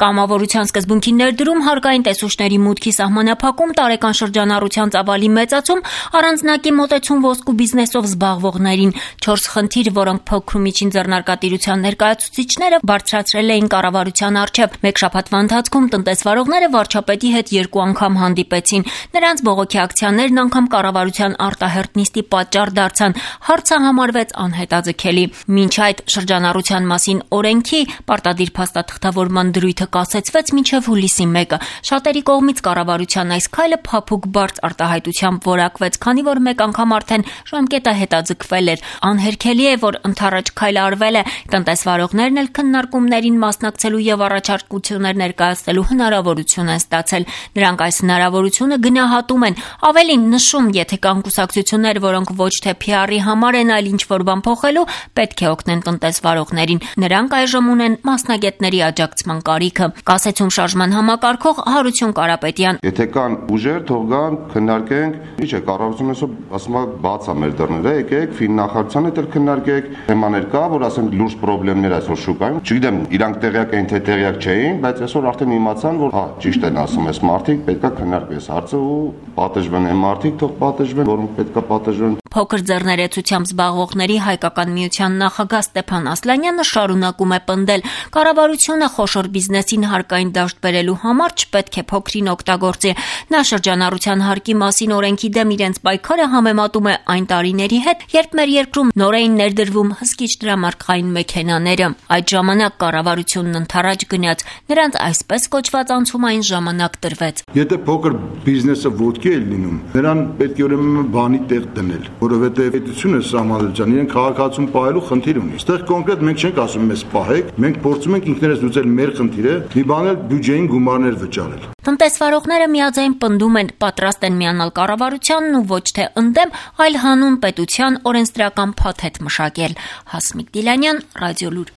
Կամավորության սկզբունքի ներդրում, հարկային տեսուչների մուտքի սահմանափակում, տարեկան շրջանառության ծավալի մեծացում, առանձնակի մոտեցում ոսկու բիզնեսով զբաղվողներին, 4 խնդիր, որոնք փոքր ու միջին ձեռնարկատիրության ներկայացուցիչները բարձրացրել էին կառավարության առջև։ Մեկ շաբաթվա ընթացքում տնտեսվարողները վարչապետի հետ 2 անգամ հանդիպեցին։ Նրանց բողոքի ակցիաներն անգամ կառավարության արտահերթ նիստի պատճառ դարձան։ Հարցը համարվեց անհետաձգելի։ Մինչ այդ շրջանառության մասին օրենքի պարտադիր փաստաթղթավորման դրույթը կասեցվեց մինչև հուլիսի 1-ը։ Շատերի կողմից կառավարության այս քայլը փափուկ բարձ արտահայտությամբ որակվեց, քանի որ մեկ անգամ արդեն ժամկետը հետաձգվել էր։ Անհերքելի է, որ ընդառաջ քայլը արվել է։ Տնտեսվարողներն էլ քննարկումներին մասնակցելու եւ առաջարկություններ ներկայացնելու հնարավորություն են ստացել։ Նրանք այս հնարավորությունը գնահատում են, ավելին նշում, եթե կան կուսակցություններ, որոնք ոչ թե PR-ի համար են, այլ ինչ-որ բան փոխելու, պետք է օգնեն տնտեսվարողներին։ Նրանք այժմ ունեն մասնագետների աջակցման կարիքը։ Կասեցում շարժման համակարգող Հարություն Կարապետյան։ Եթե կան ուժեր, թող գան, քննարկենք։ Ինչ է, կառավարությունը ասում է բաց է մեր դռները, եկեք ֆիննախարարության հետ էլ քննարկեք։ Թեմաներ կա, որ ասենք լուրջ խնդիրներ այսօր շուկայում։ Չգիտեմ, իրանք տեղյակ էին, թե տեղյակ չէին, բայց այսօր արդեն իմացան, որ ճիշտ են ասում ես մարդիկ, պետքա քննարկվի այս հարցը ու պատժվեն այն մարդիկ, թող պատժվեն, որոնք պետքա պատժվեն։ Փոքր ձեռներեցությամբ զբաղվողների հայկական միության նախագահ Ստեփան Ասլանյանը շարունակում է պնդել. կառավարությունը խոշոր բիզնեսին հարկային դաշտ բերելու համար չպետք է փոքրին օգտագործի։ Նա շրջանառության հարկի մասին օրենքի դեմ իրենց պայքարը համեմատում է այն տարիների հետ, երբ մեր երկրում նոր էին ներդրվում հսկիչ դրամարկղային մեքենաները։ Այդ ժամանակ կառավարությունն ընդառաջ գնաց, նրանց այսպես կոչված անցումային ժամանակ տրվեց։ Եթե փոքր բիզնեսը ոտքի է լինում, նրան պետք է ուրեմն բանի տեղ դնել, որովհետև պետությունը սահմանադրության իրեն քաղաքացում պահելու խնդիր ունի։ Այստեղ կոնկրետ մենք չենք ասում մեզ պահեք, մենք փորձում ենք ինքներս լուծել մեր խնդիրը, մի բան էլ բյուջեին գումարներ վճարել։ Տնտեսվարողները միաձայն պնդում են, պատրաստ են միանալ կառավարությանն ու ոչ թե ընդդեմ, այլ հանուն պետության օրենսդրական փաթեթ մշակել։ Հասմիկ Դիլանյան, Ռադիոլուր։